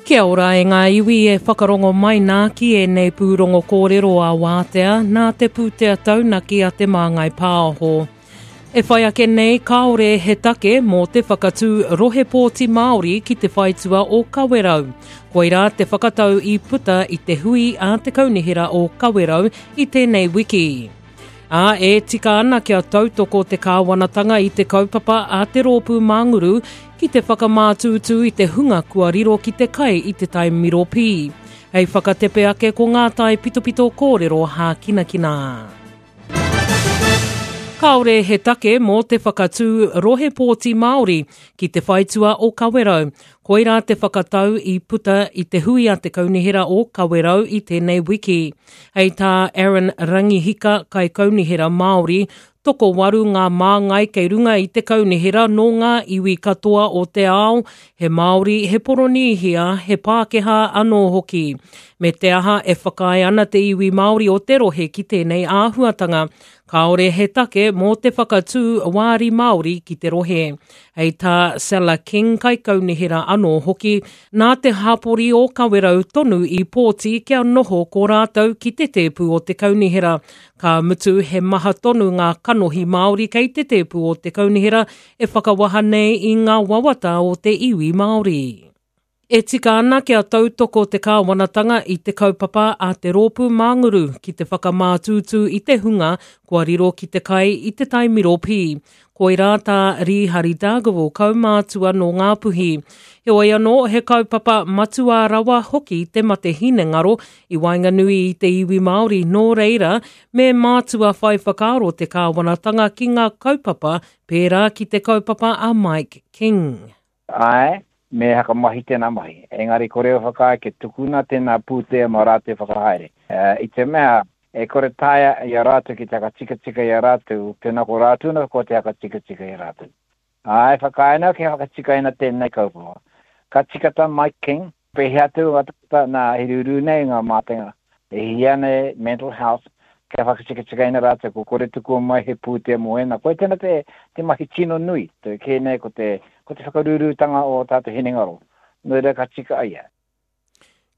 Kia ora e ngā iwi e whakarongo mai nā ki ēnei pūrongo kōrero a Wātea nā te pūtea taunaki a Te Māngai Pāho. E whai ake nei kāore he take mō te whakatū rohe pōti Māori ki te whaitua o Kawerau. Koirā te whakatau i puta i te hui a te Kaunihera o Kawerau i tēnei wiki. Ā, e tika ana kia tautoko te kāwanatanga i te kaupapa a te Rōpū Mānguru ki te whakamātūtū i te hunga kua riro ki te kai i te tai miro pī. Hei whakatepe ake ko ngā tae pitopito kōrero hākinakina. Kāore he take mō te whakatū rohe pōti Māori ki te whaitua o Kawerau. Koirā te whakatau i puta i te hui a te Kaunihera o Kawerau i tēnei wiki. Hei tā Aaron Rangihika, Kaikaunihera Māori, tokowaru ngā māngai kei runga i te kaunihera nō ngā iwi katoa o te ao, he Māori, he Poronīhia, he Pākehā anō hoki. Me te aha e whakaae ana te iwi Māori o te rohe ki tēnei āhuatanga, kāore he take mō te whakatū wāri Māori ki te rohe. Hei tā Sella King, kaikaunihera anō hoki, nā te hapori o Kawerau tonu i pōti kia noho ko rātou ki te tēpu o te kaunihera. Ka mutu he maha tonu ngā kanohi Māori kei te tēpu o te kaunihera e whakawaha nei i ngā wawata o te iwi Māori. E tika ana kia tautoko te kāwanatanga i te kaupapa a te Rōpū Mānguru ki te whakamātūtū i te hunga kua riro ki te kai i te tai miro pī. Koirā tā Rīhari Dargaville kaumātua nō Ngāpuhi. Heoi anō, he kaupapa matua rawa hoki te mate hinengaro i waenganui i te iwi Māori, nō reira, me mātua whai whakaaro te kāwanatanga ki ngā kaupapa pērā ki te kaupapa a Mike King. Āe, me hakamahi tēnā mahi. Engari kore e whakaae kia tukuna tēnā pūtea mā rātou e whakahaere. I te mea, e kore taea i a rātou ki te hakatikatika i a rātou, tēnā ko rātou anō kua te hakatikatika i a rātou. Āe, whakaae ana kia whakatikaina tēnei kaupapa. Ka tika tā Mike King, Pēhea atu ngā tangata nā he rūrū nei ngā mātenga e hihia ana e Mental Health kia whakatikatikaina rātou kua kore tukua mai he pūtea mō ēnā. Koia tēnā te, te mahi tino nui, te kē nei ko te, ko te whakarūrūtanga o ō tātou hinengaro. Nō reira ka tika ia.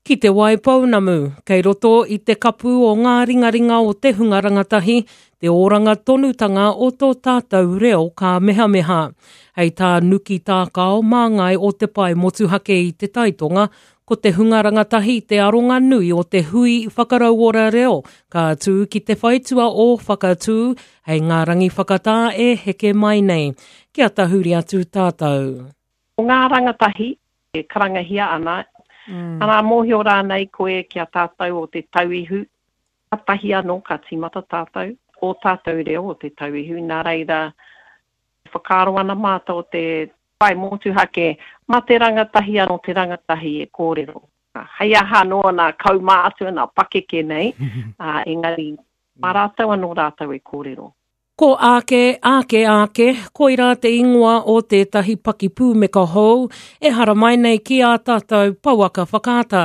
Ki Te Waipounamu, kei roto i te kapu o ngā ringaringa o te hunga rangatahi, te oranga tonutanga o tō tātou reo kāmehameha. Hei tā Nuki Tākao, māngai o Te Pae Motuhake i Te Taitonga, ko te hunga rangatahi te aronga nui o te hui whakarauora reo ka tū ki te whaitua o Whakatū hei ngā rangi whakatā e heke mai nei. Kia tahuri atu tātou. Ko ngā rangatahi e karangahia ana, arā, mōhio rānei koe ki a tātou o Te Tauihu, kātahi anō ka tīmata tātou, ō tātou reo o Te Tauihu, nā reira, E whakaaro ana mātou o te Pae Motuhake, mā te rangatahi anō te rangatahi e kōrero. Hei aha anō nā kaumātua, nā pakeke nei, engari mā rātou anō rātou e kōrero. Ko Ake, Ake, Ake, koirā te ingoa o tētahi pakipūmeka hou e haramai nei ki ā tātou pouaka whakaata.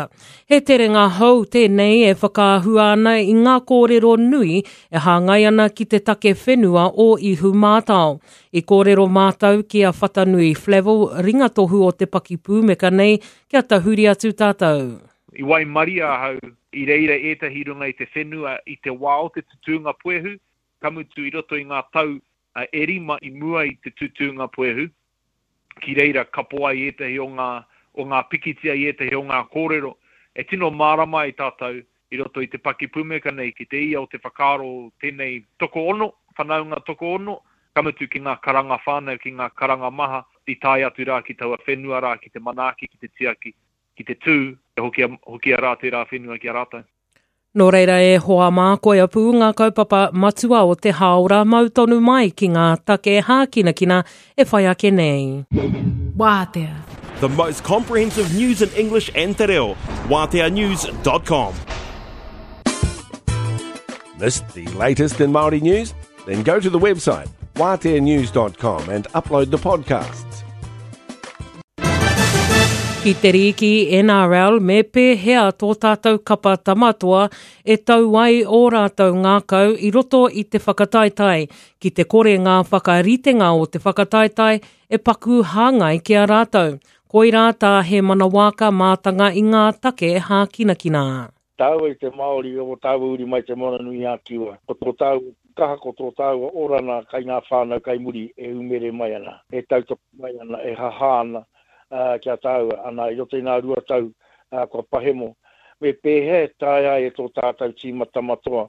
He terenga hou tēnei e whakaahua ana i ngā kōrero nui e hāngai ana ki te take whenua o Ihumātao. I kōrero mātou ki a Whatanui Flavell, ringatohu o te pakipūmeka nei, kia tahuri atu tātou. I waimaria ahau i reira ētahi i runga i te whenua i te wā o te tutūnga puehu, ka mutu i roto i ngā tau e rima i mua i te tutūnga puehu, ki reira kapo ai ētahi o ngā, o ngā pikitia i ētahi o ngā kōrero e tino mārama ai tātou i roto i te pakipumeka nei ki te ia o te whakaaro o tēnei tokoono, whanaunga tokoono, ka mutu ki ngā karanga whānau, ki ngā karanga maha i tae atu rā ki taua whenua rā ki te manaaki, ki te tiaki, ki te tū, kia hokia, hokia rā tērā whenua ki a rātou. Nō reira e hoa mā, koia pū ngā kaupapa matua o te hāora mau tonu mai ki ngā take hākinakina e whai ake nei. Wātea. The most comprehensive news in English and Te Reo. WāteaNews.com. Missed the latest in Māori news? Then go to the website wāteanews.com and upload the podcasts. Ki te rīki NRL me pēhea tō tātou kapa tamatoa e tau ai ō rātou ngākau i roto i te whakataetae, ki te kore ngā whakaritenga o te whakataetae e paku hāngai ki a rātou. Koirā tā Hēmana Waaka mātanga i ngā take hākinakina. Tāua i te Māori, o tāua uri mai Te Moana-nui-a-Kiwa. Ko tō tāua kaha, ko tō tāua orana kai ngā whānau kai muri e umere mai ana, e tautoko mai ana, e hahā ana ki a tāua, ana, i roto i ngā 2 tau kua pahemo. Me pēhea e taea ai e tō tātau tīma Tamatoa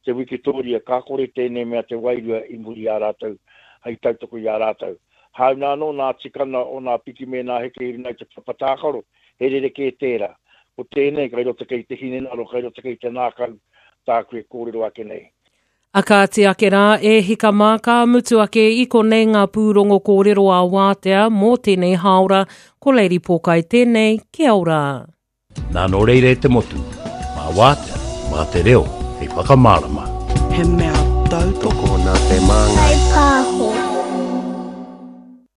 te wikitōria ka kore tēnei mea te wairua i muri i a rātou hei tautoko i a rātou. Hāuna anō nā tikana o nā piki me nā heke i runga i te papa tākaro, he rerekē tērā. Ko tēnei kai roto kei te hinengaro, kai roto kei te ngākau tāku e kōrero ake nei. A kāti ake rā, e hika mā, ka mutu ake i konei ngā pūrongo kōrero a Wātea mō tēnei hāora, ko Lady Pōkai tēnei, kia ora. Nā nō reira e te motu, mā Wātea, mā te reo hei whakamārama. He mea tautoko nā te Māngai. Pāho.